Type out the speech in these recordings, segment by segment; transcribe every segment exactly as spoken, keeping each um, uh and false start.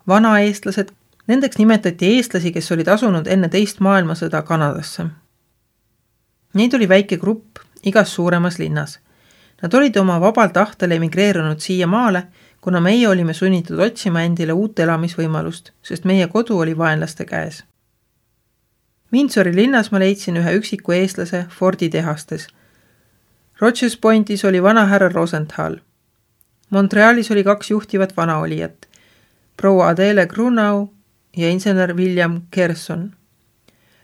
vanaeestlased. Nendeks nimetati eestlasi, kes olid asunud enne teist maailmasõda Kanadasse. Neid oli väike grupp igas suuremas linnas. Nad olid oma vabal tahtel emigreerunud siia maale, kuna meie olime sunnitud otsima endile uut elamisvõimalust, sest meie kodu oli vaenlaste käes. Windsori linnas ma leidsin ühe üksiku eestlase Fordi tehastes. Rogers Pointis oli vana härra Rosenthal. Montrealis oli kaks juhtivat vanaolijat, proua Adele Grunau ja insener William Kerson.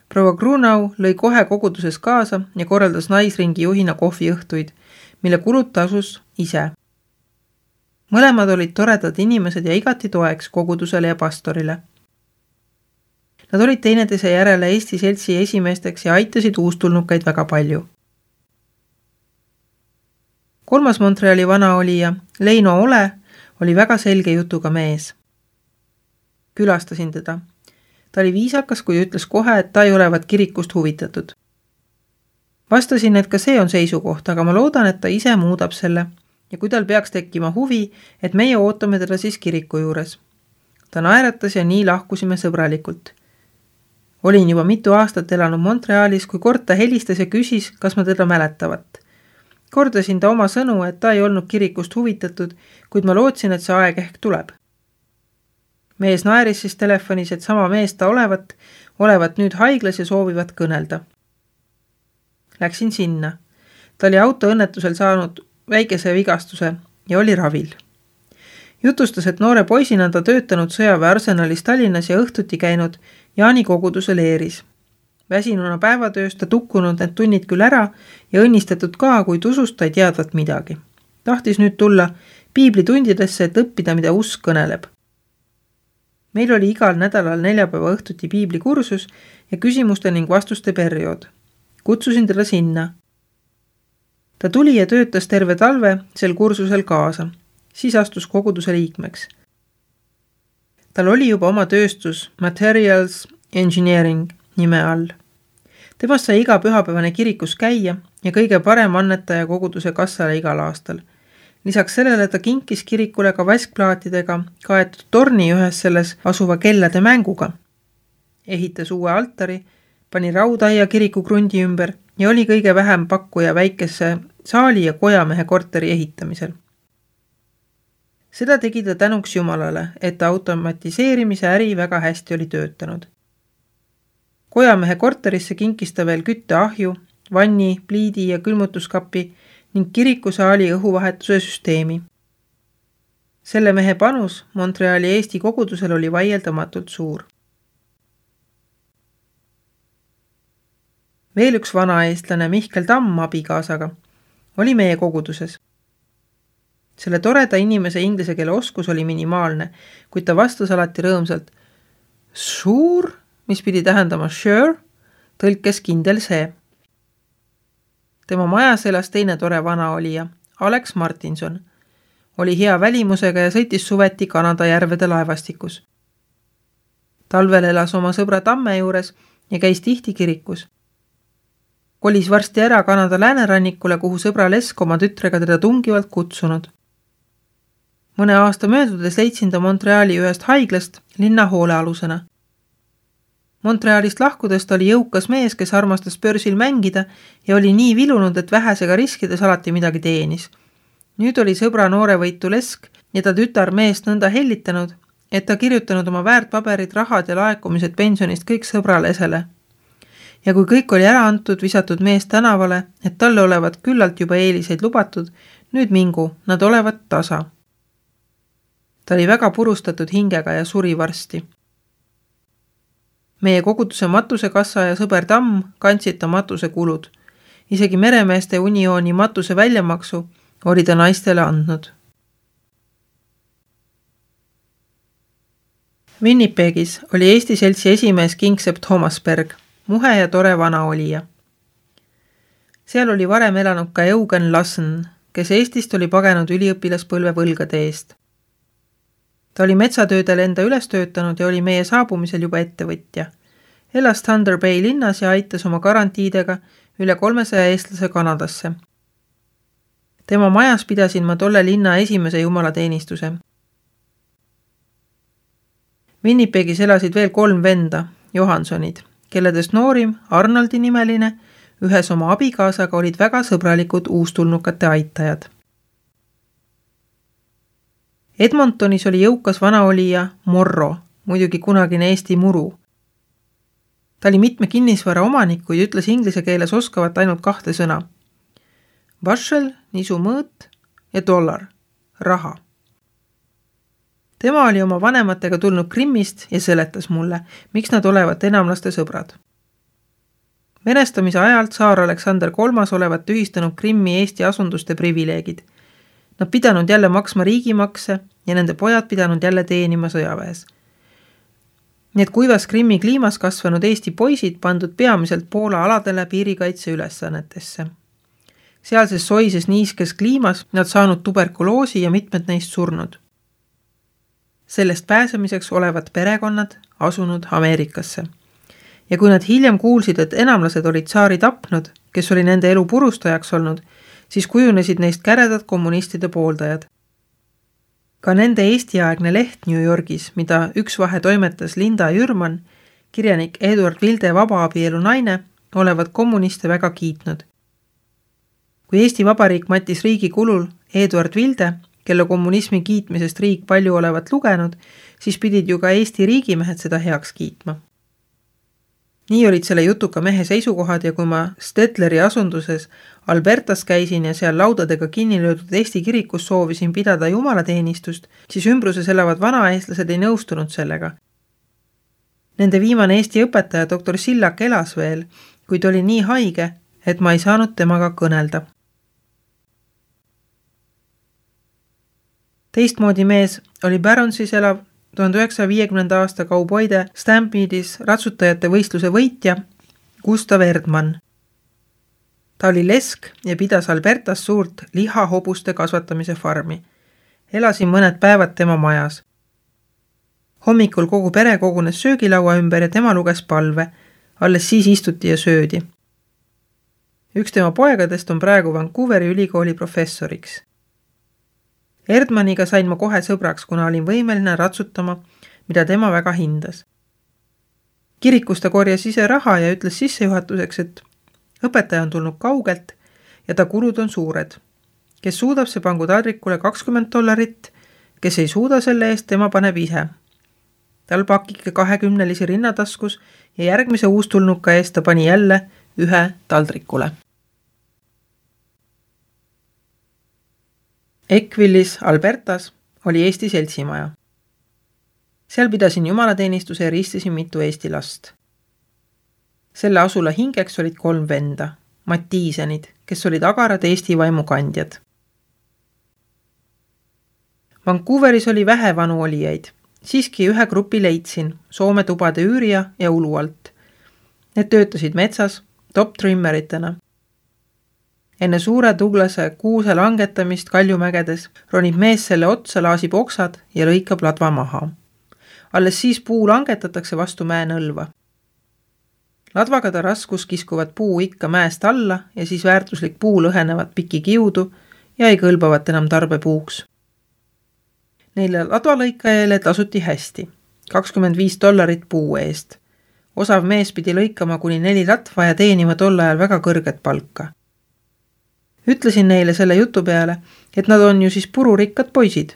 Proua Grunau lõi kohe koguduses kaasa ja korraldas naisringi juhina kohviõhtuid, mille kulud tasus ise. Mõlemad olid toredad inimesed ja igati toeks kogudusele ja pastorile. Nad olid teineteise järele Eesti seltsi esimeesteks ja aitasid uustulnukaid väga palju. Kolmas Montreali vanaolija, Leino Ole, oli väga selge jutuga mees. Külastasin teda. Ta oli viisakas, kui ütles kohe, et ta ei olevat kirikust huvitatud. Vastasin, et ka see on seisukoht, aga ma loodan, et ta ise muudab selle ja kui tal peaks tekkima huvi, et meie ootame teda siis kiriku juures. Ta naeratas ja nii lahkusime sõbralikult. Olin juba mitu aastat elanud Montrealis, kui kord ta helistas ja küsis, kas ma teda mäletavat. Kordasin ta oma sõnu, et ta ei olnud kirikust huvitatud, kuid ma lootsin, et see aeg ehk tuleb. Mees naeris siis telefonis, et sama mees ta olevat, olevat nüüd haiglas ja soovivat kõnelda. Läksin sinna. Ta oli autoõnnetusel saanud väikese vigastuse ja oli ravil. Jutustas, et noore poisina ta töötanud sõjaväe arsenalis Tallinnas ja õhtuti käinud Jaani koguduse leeris. Väsinuna päevatööst ta tukkunud need tunnid küll ära ja õnnistatud ka, kuid usust ta ei teadvat midagi. Tahtis nüüd tulla piiblitundidesse, et õppida, mida usk kõneleb. Meil oli igal nädalal neljapäeva õhtuti piiblikursus ja küsimuste ning vastuste periood. Kutsusin teda sinna. Ta tuli ja töötas terve talve sel kursusel kaasa, siis astus koguduse liikmeks. Tal oli juba oma tööstus Materials Engineering nime all. Temast sai iga pühapäevane kirikus käia ja kõige parem annetaja koguduse kassale igal aastal. Lisaks sellele ta kinkis kirikule ka vaskplaatidega kaetud torni ühes selles asuva kellade mänguga. Ehitas uue altari, pani raudaia kiriku krundi ümber ja oli kõige vähem pakkuja väikese saali ja kojamehe korteri ehitamisel. Seda tegi ta tänuks Jumalale, et automatiseerimise äri väga hästi oli töötanud. Kojamehe korterisse kinkis ta veel kütteahju, vanni, pliidi ja külmutuskapi ning kirikusaali õhuvahetuse süsteemi. Selle mehe panus Montreali Eesti kogudusel oli vaieldamatult suur. Veel üks vanaeestlane Mihkel Tamm abikaasaga oli meie koguduses. Selle toreda inimese inglise keele oskus oli minimaalne, kuid ta vastas alati rõõmsalt suur, mis pidi tähendama sure, tõlkes kindel see. Tema majas elas teine tore vanaolija, Alex Martinson. Oli hea välimusega ja sõitis suveti Kanada järvede laevastikus. Talvel elas oma sõbra Tamme juures ja käis tihti kirikus. Kolis varsti ära Kanada läänerannikule, kuhu sõbra Lesk oma tütrega teda tungivalt kutsunud. Mõne aasta möödudes leidsin ta Montreali ühest haiglast linna hoolealusena. Montrealist lahkudest oli jõukas mees, kes armastas börsil mängida ja oli nii vilunud, et vähesega riskides alati midagi teenis. Nüüd oli sõbra noorevõitu Lesk ja ta tütar meest nõnda hellitanud, et ta kirjutanud oma väärtpaberid, rahad ja laekumised pensionist kõik sõbrale esele. Ja kui kõik oli ära antud, visatud mees tänavale, et talle olevat küllalt juba eeliseid lubatud, nüüd mingu, nad olevat tasa. Ta oli väga purustatud hingega ja suri varsti. Meie koguduse matusekassa ja sõber Tamm kandsid ta matuse kulud. Isegi meremeeste uniooni matuse väljamaksu oli ta naistele andnud. Winnipegis oli Eesti seltsi esimees Kingsepp Thomasberg, muhe ja tore vanaolija. Seal oli varem elanud ka Eugen Lassen, kes Eestist oli pagenud üliõpilaspõlve võlgade eest. Ta oli metsatöödel enda üles töötanud ja oli meie saabumisel juba ettevõtja. Elas Thunder Bay linnas ja aitas oma garantiidega üle kolmesaja eestlase Kanadasse. Tema majas pidasin ma tolle linna esimese jumalateenistuse. Winnipegis elasid veel kolm venda, Johansonid, kelledest noorim, Arnoldi nimeline, ühes oma abikaasaga olid väga sõbralikud uustulnukate aitajad. Edmontonis oli jõukas vanaolija Morro, muidugi kunagine Eesti muru. Ta oli mitme kinnisvara omanik, kuid ütles inglise keeles oskavat ainult kahte sõna. Bushel, nisu mõõt ja dollar, raha. Tema oli oma vanematega tulnud Krimmist ja seletas mulle, miks nad olevat enamlaste sõbrad. Venestamise ajalt saar Aleksander kolmas olevat tühistanud Krimmi Eesti asunduste privileegid. Nad pidanud jälle maksma riigimakse ja nende pojad pidanud jälle teenima sõjaväes. Need kuivas Krimmi kliimas kasvanud Eesti poisid pandud peamiselt Poola aladele piirikaitse ülesannetesse. Sealses soises niiskes kliimas nad saanud tuberkuloosi ja mitmed neist surnud. Sellest pääsemiseks olevat perekonnad asunud Ameerikasse. Ja kui nad hiljem kuulsid, et enamlased olid saari tapnud, kes oli nende elu purustajaks olnud, siis kujunesid neist käredad kommunistide pooldajad. Ka nende Eesti-aegne leht New Yorgis, mida üks vahe toimetas Linda Jürman, kirjanik Eduard Vilde vabaabielu naine, olevat kommuniste väga kiitnud. Kui Eesti Vabariik mattis riigi kulul Eduard Vilde, kelle kommunismi kiitmisest riik palju olevat lugenud, siis pidid ju ka Eesti riigimehed seda heaks kiitma. Nii olid selle jutuka mehe seisukohad ja kui ma Stetleri asunduses Albertas käisin ja seal laudadega kinni löödud Eesti kirikus soovisin pidada jumalateenistust, siis ümbruses elavad vanaeestlased ei nõustunud sellega. Nende viimane Eesti õpetaja doktor Sillak elas veel, kuid oli nii haige, et ma ei saanud temaga kõnelda. Teistmoodi mees oli Baronsis elav tuhande üheksasaja viiekümnenda aasta kauboide Stampede'is ratsutajate võistluse võitja Gustav Erdmann. Ta oli lesk ja pidas Albertas suurt lihahobuste kasvatamise farmi. Elasin mõned päevad tema majas. Hommikul kogu pere kogunes söögilaua ümber ja tema luges palve. Alles siis istuti ja söödi. Üks tema poegadest on praegu Vancouveri ülikooli professoriks. Erdmanniga sain ma kohe sõbraks, kuna olin võimeline ratsutama, mida tema väga hindas. Kirikus ta korjas ise raha ja ütles sissejuhatuseks, et õpetaja on tulnud kaugelt ja ta kulud on suured. Kes suudab, see pangu taldrikule kakskümmend dollarit, kes ei suuda selle eest, tema paneb ise. Tal pakike kahekümnelisi rinnataskus ja järgmise uustulnuka eest ta pani jälle ühe taldrikule. Eckvillis, Albertas oli Eesti seltsimaja. Seal pidasin jumalateenistuse ja ristisin mitu Eesti last. Selle asula hingeks olid kolm venda, Mattiisenid, kes olid agarad Eesti vaimukandjad. Vancouveris oli vähe vanu olijaid. Siiski ühe grupi leidsin, Soome tubade üürija ja ulu alt. Need töötasid metsas, top-trimmeritena. Enne suure Douglase kuuse langetamist Kaljumägedes ronib mees selle otsa, laasib oksad ja lõikab ladva maha. Alles siis puu langetatakse vastu mäenõlva. Ladvaga ta raskus kiskuvad puu ikka mäest alla ja siis väärtuslik puu lõhenevad piki kiudu ja ei kõlbavat enam tarbepuuks. Neile ladvalõikajale tasuti hästi, kakskümmend viis dollarit puu eest. Osav mees pidi lõikama kuni neli latva ja teenima tol ajal väga kõrget palka. Ütlesin neile selle jutu peale, et nad on ju siis pururikkad poisid.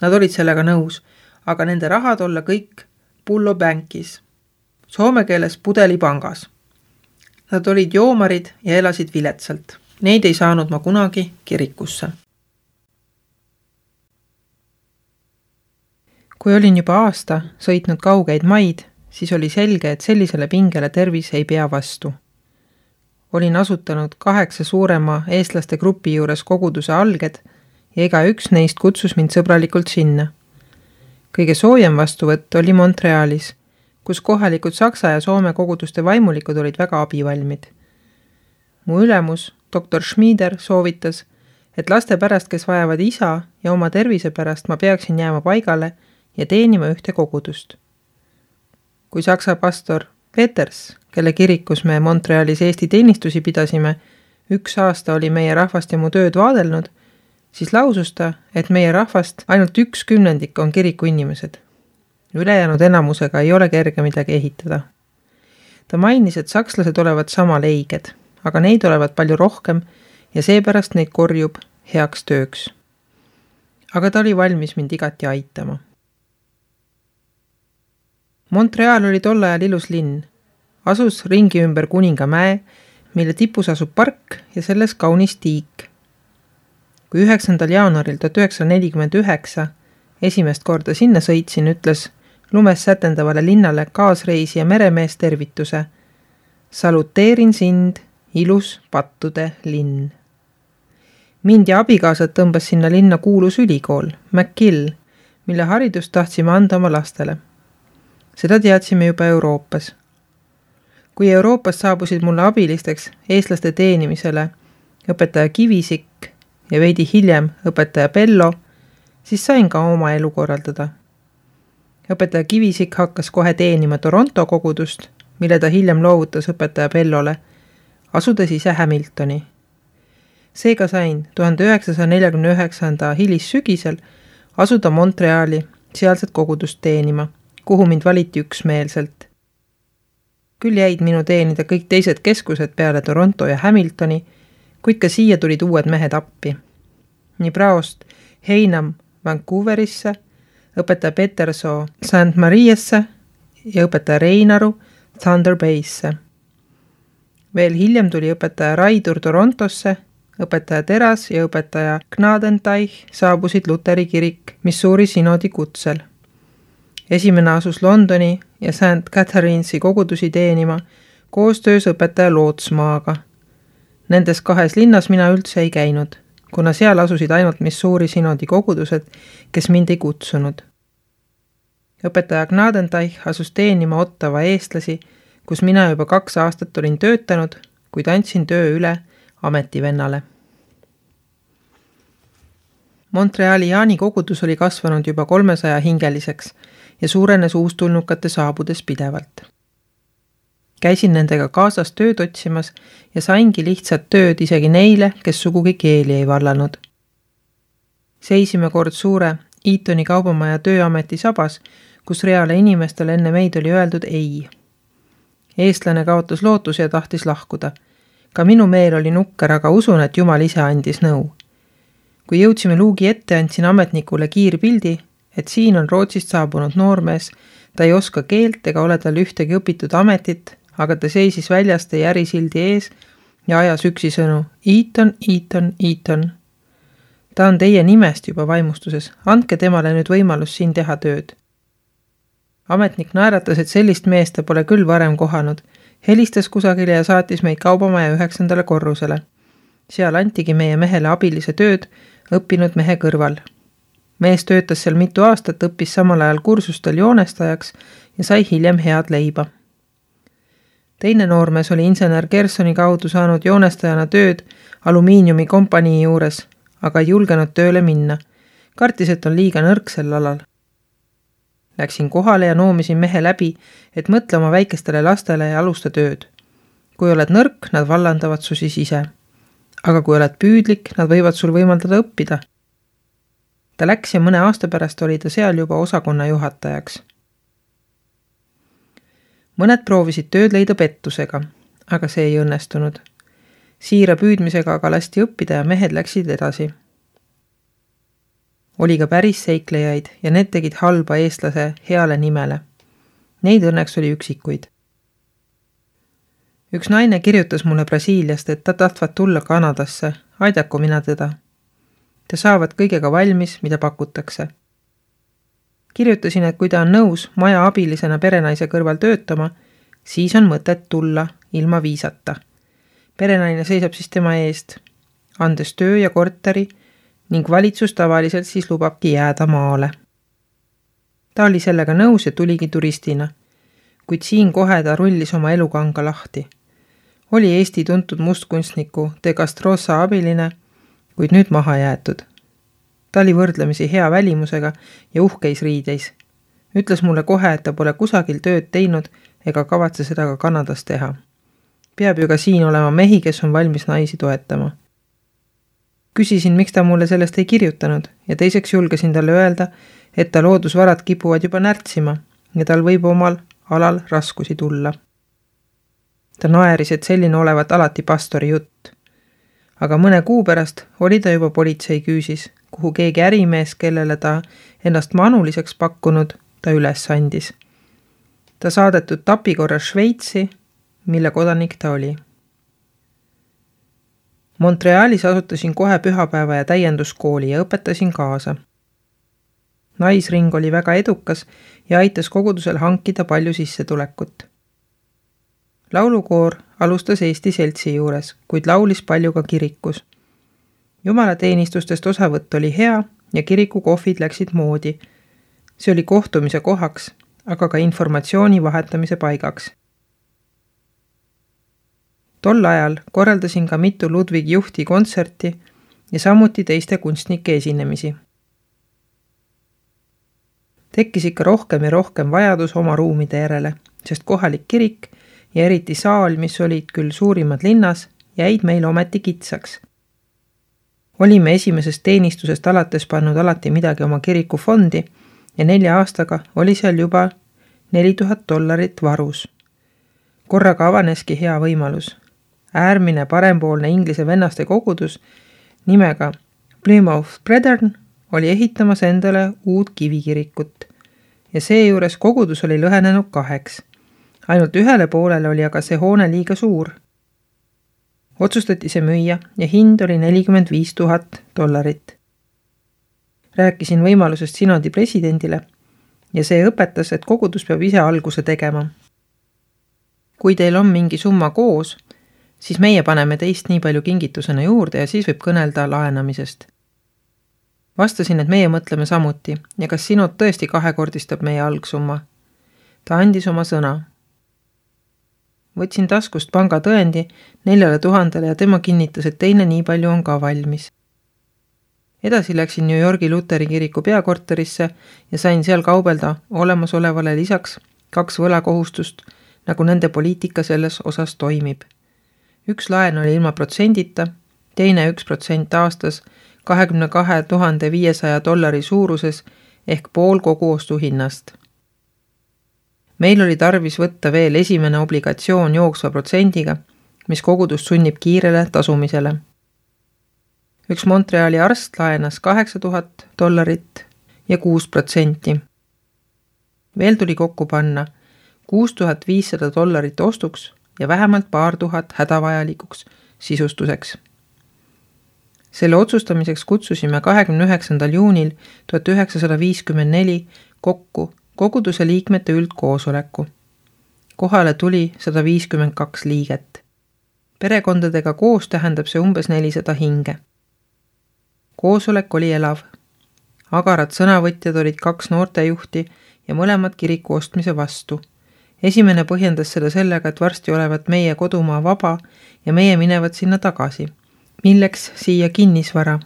Nad olid sellega nõus, aga nende rahad olla kõik Pullo Bankis, soome keeles pudelipangas. Nad olid joomarid ja elasid viletsalt. Neid ei saanud ma kunagi kirikusse. Kui olin juba aasta sõitnud kaugeid maid, siis oli selge, et sellisele pingele tervis ei pea vastu. Olin asutanud kaheksa suurema eestlaste grupi juures koguduse alged ja ega üks neist kutsus mind sõbralikult sinna. Kõige soojem vastuvõtt oli Montrealis, kus kohalikud saksa ja soome koguduste vaimulikud olid väga abivalmid. Mu ülemus, doktor Schmieder, soovitas, et laste pärast, kes vajavad isa ja oma tervise pärast, ma peaksin jääma paigale ja teenima ühte kogudust. Kui saksa pastor Peters, kelle kirikus me Montrealis Eesti teenistusi pidasime, üks aasta oli meie rahvast ja mu tööd vaadelnud, siis lausus ta, et meie rahvast ainult üks kümnendik on kiriku inimesed. Ülejäänud enamusega ei ole kerge midagi ehitada. Ta mainis, et sakslased olevat sama leiged, aga neid olevat palju rohkem ja seepärast neid korjub heaks tööks. Aga ta oli valmis mind igati aitama. Montreal oli tol ajal ilus linn. Asus ringi ümber Kuningamäe, mille tipus asub park ja selles kaunis tiik. Kui üheksandal jaanuaril tuhat üheksasada nelikümmend üheksa esimest korda sinna sõitsin, ütles lumes sätendavale linnale kaasreisi ja meremees tervituse. Saluteerin sind, ilus pattude linn. Mind ja abikaasad tõmbas sinna linna kuulus ülikool, McGill, mille haridust tahtsime anda oma lastele. Seda teadsime juba Euroopas. Kui Euroopas saabusid mulle abilisteks eestlaste teenimisele õpetaja Kivisik ja veidi hiljem õpetaja Pello, siis sain ka oma elu korraldada. Õpetaja Kivisik hakkas kohe teenima Toronto kogudust, mille ta hiljem loovutas õpetaja Pellole, asudes ise Hamiltoni. Seega sain tuhande üheksasaja neljakümne üheksanda hilissügisel asuda Montreali sealset kogudust teenima, kuhu mind valiti üksmeelselt. Küll jäid minu teenida kõik teised keskused peale Toronto ja Hamiltoni, kuid ka siia tulid uued mehed appi. Nii praost Heinam Vancouverisse, õpetaja Petersoo Saint Mariasse ja õpetaja Reinaru Thunder Baysse. Veel hiljem tuli õpetaja Raidur Torontosse, õpetaja Teras ja õpetaja Gnadenteich saabusid Luteri kirik Missouri synodi kutsel. Esimene asus Londoni ja Saint Catherine'i kogudusi teenima koostöös õpetaja Lootsmaaga. Nendes kahes linnas mina üldse ei käinud, kuna seal asusid ainult Missouri synodi kogudused, kes mind ei kutsunud. Õpetaja Gnadenteich asus teenima Ottawa eestlasi, kus mina juba kaks aastat olin töötanud, kuid andsin töö üle ametivennale. Montreali Jaani kogudus oli kasvanud juba kolmesaja hingeliseks ja suurenes uustulnukate saabudes pidevalt. Käisin nendega kaasas tööd otsimas ja saingi lihtsat tööd isegi neile, kes sugugi keeli ei vallanud. Seisime kord suure Eatoni kaubamaja tööameti sabas, kus reale inimestele enne meid oli öeldud ei. Eestlane kaotas lootus ja tahtis lahkuda. Ka minu meel oli nukker, aga usun, et Jumal ise andis nõu. Kui jõudsime luugi ette, andsin ametnikule kiirpildi, et siin on Rootsist saabunud noormees, ta ei oska keelt ega ole tal ühtegi õpitud ametit, aga ta seisis väljaste järisildi ees ja ajas üksi sõnu Eaton, Eaton, Eaton. Ta on teie nimest juba vaimustuses, andke temale nüüd võimalus siin teha tööd. Ametnik naeratas, et sellist meest ta pole küll varem kohanud, helistas kusagile ja saatis meid kaubamaja üheksandale korrusele. Seal antigi meie mehele abilise tööd õppinud mehe kõrval. Mees töötas seal mitu aastat, õppis samal ajal kursustel joonestajaks ja sai hiljem head leiba. Teine noormees oli insener Gersoni kaudu saanud joonestajana tööd alumiiniumi kompanii juures, aga ei julgenud tööle minna. Kartis, et on liiga nõrk sel alal. Läksin kohale ja noomisin mehe läbi, et mõtle oma väikestele lastele ja alusta tööd. Kui oled nõrk, nad vallandavad su siis ise. Aga kui oled püüdlik, nad võivad sul võimaldada õppida. Ta läks ja mõne aasta pärast oli ta seal juba osakonna juhatajaks. Mõned proovisid tööd leida pettusega, aga see ei õnnestunud. Siira püüdmisega aga lasti õppida ja mehed läksid edasi. Oli ka päris seiklejaid ja need tegid halba eestlase heale nimele. Neid õnneks oli üksikuid. Üks naine kirjutas mulle Brasiiliast, et ta tahtvad tulla Kanadasse, aidaku mina teda. Te saavad kõigega valmis, mida pakutakse. Kirjutasin, et kui ta on nõus maja abilisena perenaise kõrval töötama, siis on mõtet tulla ilma viisata. Perenaine seisab siis tema eest, andes töö ja korteri ning valitsus tavaliselt siis lubabki jääda maale. Ta oli sellega nõus ja tuligi turistina, kuid siin kohe ta rullis oma elukanga lahti. Oli Eesti tuntud mustkunstniku De Castrosa abiline, kuid nüüd maha jäetud. Ta oli võrdlemisi hea välimusega ja uhkeis riideis. Ütles mulle kohe, et ta pole kusagil tööd teinud ega kavatse seda ka Kanadas teha. Peab ju ka siin olema mehi, kes on valmis naisi toetama. Küsisin, miks ta mulle sellest ei kirjutanud ja teiseks julgesin talle öelda, et ta loodusvarad kipuvad juba närtsima ja tal võib omal alal raskusi tulla. Ta naeris, et selline olevat alati pastori jutt. Aga mõne kuu pärast oli ta juba politsei küüsis, kuhu keegi ärimees, kellele ta ennast manuliseks pakkunud, ta üles andis. Ta saadetud tapikorras Šveitsi, mille kodanik ta oli. Montrealis asutasin kohe pühapäeva ja täienduskooli ja õpetasin kaasa. Naisring oli väga edukas ja aitas kogudusel hankida palju sissetulekut. Laulukoor alustas Eesti seltsi juures, kuid laulis palju ka kirikus. Jumalateenistustest osavõtt oli hea ja kiriku kohvid läksid moodi. See oli kohtumise kohaks, aga ka informatsiooni vahetamise paigaks. Tol ajal korraldasin ka mitu Ludwig Juhti kontserti ja samuti teiste kunstnike esinemisi. Tekkis ikka rohkem ja rohkem vajadus oma ruumide järele, sest kohalik kirik ja eriti saal, mis olid küll suurimad linnas, jäid meil ometi kitsaks. Olime esimesest teenistusest alates pannud alati midagi oma kiriku fondi ja nelja aastaga oli seal juba neli tuhat dollarit varus. Korraga avaneski hea võimalus. Äärmine parempoolne inglise vennaste kogudus nimega Plymouth Brethren oli ehitamas endale uut kivikirikut ja seejuures kogudus oli lõhenenud kaheks. Ainult ühele poolele oli aga see hoone liiga suur. Otsustati see müüa ja hind oli nelikümmend viis tuhat dollarit. Rääkisin võimalusest sinodi presidendile ja see õpetas, et kogudus peab ise alguse tegema. Kui teil on mingi summa koos, siis meie paneme teist nii palju kingitusena juurde ja siis võib kõnelda laenamisest. Vastasin, et meie mõtleme samuti ja kas sinod tõesti kahekordistab meie algsumma. Ta andis oma sõna. Võtsin taskust panga tõendi neljale tuhandele ja tema kinnitas, et teine nii palju on ka valmis. Edasi läksin New Yorgi Luteri kiriku peakorterisse ja sain seal kaubelda olemasolevale lisaks kaks võlakohustust, nagu nende poliitika selles osas toimib. Üks laen oli ilma protsendita, teine üks protsent aastas kahekümne kahe tuhande viiesaja dollari suuruses ehk pool kogu ostuhinnast. Meil oli tarvis võtta veel esimene obligatsioon jooksva protsendiga, mis kogudust sunnib kiirele tasumisele. Üks Montreali arst laenas kaheksa tuhat dollarit ja kuus protsenti. Veel tuli kokku panna kuus tuhat viissada dollarit ostuks ja vähemalt paar tuhat hädavajalikuks sisustuseks. Selle otsustamiseks kutsusime kahekümne üheksandal juunil tuhat üheksasada viiskümmend neli kokku koguduse liikmete üldkoosoleku. Kohale tuli sada viiskümmend kaks liiget. Perekondadega koos tähendab see umbes nelisada hinge. Koosolek oli elav. Agarad sõnavõtjad olid kaks noortejuhti ja mõlemad kiriku ostmise vastu. Esimene põhjendas seda sellega, et varsti olevat meie kodumaa vaba ja meie minevad sinna tagasi. Milleks siia kinnisvara?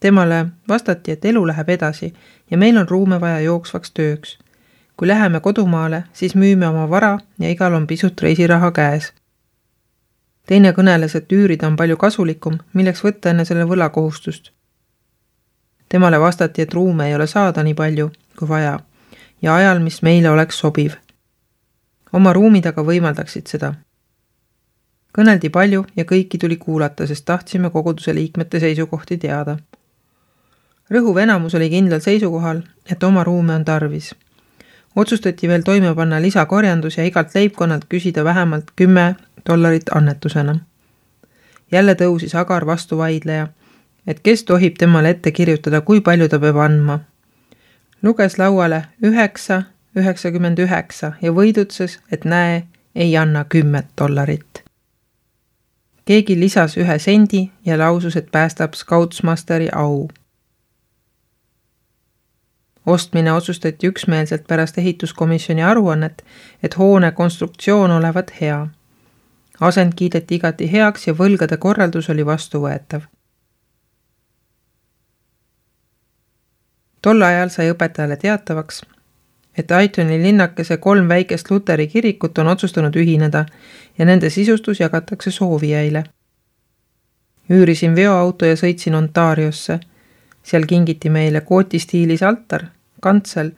Temale vastati, et elu läheb edasi ja meil on ruume vaja jooksvaks tööks. Kui läheme kodumaale, siis müüme oma vara ja igal on pisut reisiraha käes. Teine kõneles, et üürida on palju kasulikum, milleks võtta enne selle võlakohustust. Temale vastati, et ruume ei ole saada nii palju kui vaja ja ajal, mis meile oleks sobiv. Oma ruumid aga võimaldaksid seda. Kõneldi palju ja kõiki tuli kuulata, sest tahtsime koguduse liikmete seisukohti teada. Rõhuv enamus oli kindlal seisukohal, et oma ruume on tarvis. Otsustati veel toime panna lisakorjandus ja igalt leibkonnalt küsida vähemalt kümme dollarit annetusena. Jälle tõusis Agar vastu vaidleja, et kes tohib temale ette kirjutada, kui palju ta peab andma. Luges lauale üheksa, üheksakümmend üheksa ja võidutses, et näe, ei anna kümmet dollarit. Keegi lisas ühe sendi ja lausus, et päästab Scoutsmasteri au. Ostmine otsustati üksmeelselt pärast ehituskomisjoni aruannet, et hoone konstruktsioon olevat hea. Asend kiideti igati heaks ja võlgade korraldus oli vastuvõetav. Tol ajal sai õpetajale teatavaks, et Aitoni linnakese kolm väikest Luteri kirikut on otsustanud ühineda ja nende sisustus jagatakse soovijaile. Üürisin veoauto ja sõitsin Ontariosse. Seal kingiti meile kootistiilis altar, kantsel,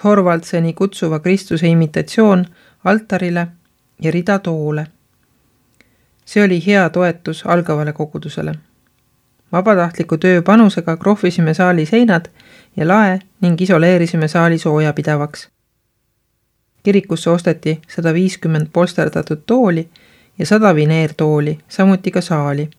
Thorvaldseni kutsuva Kristuse imitatsioon altarile ja rida toole. See oli hea toetus algavale kogudusele. Vabatahtliku töö panusega krohvisime saali seinad ja lae ning isoleerisime saali soojapidavaks. Kirikusse osteti sada viiskümmend polsterdatud tooli ja sada vineertooli, samuti ka saali.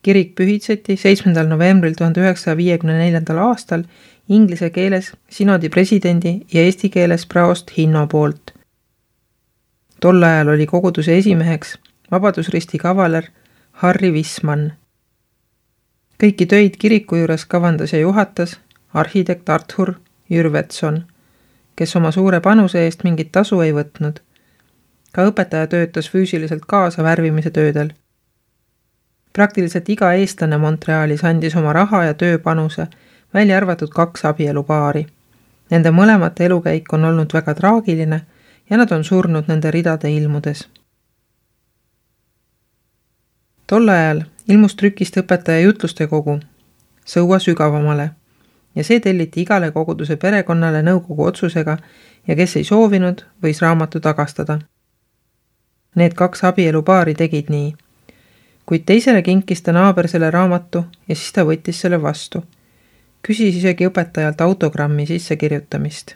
Kirik pühitseti seitsmendal novembril tuhande üheksasaja viiekümne neljandal aastal inglise keeles sinodi presidendi ja eesti keeles praost Hinno poolt. Tol ajal oli koguduse esimeheks Vabadusristi kavaler Harry Wisman. Kõiki töid kiriku juures kavandas ja juhatas arhitekt Arthur Jürvetson, kes oma suure panuse eest mingit tasu ei võtnud. Ka õpetaja töötas füüsiliselt kaasa värvimise töödel. Praktiliselt iga eestlane Montrealis andis oma raha ja tööpanuse, välja arvatud kaks abielupaari. Nende mõlemate elukäik on olnud väga traagiline ja nad on surnud nende ridade ilmudes. Tol ajal ilmus trükist õpetaja jutluste kogu, Sõua sügavamale, ja see telliti igale koguduse perekonnale nõukogu otsusega ja kes ei soovinud, võis raamatu tagastada. Need kaks abielupaari tegid nii, kuid teisele kinkis ta naaber selle raamatu ja siis ta võttis selle vastu. Küsis isegi õpetajalt autogrammi sissekirjutamist.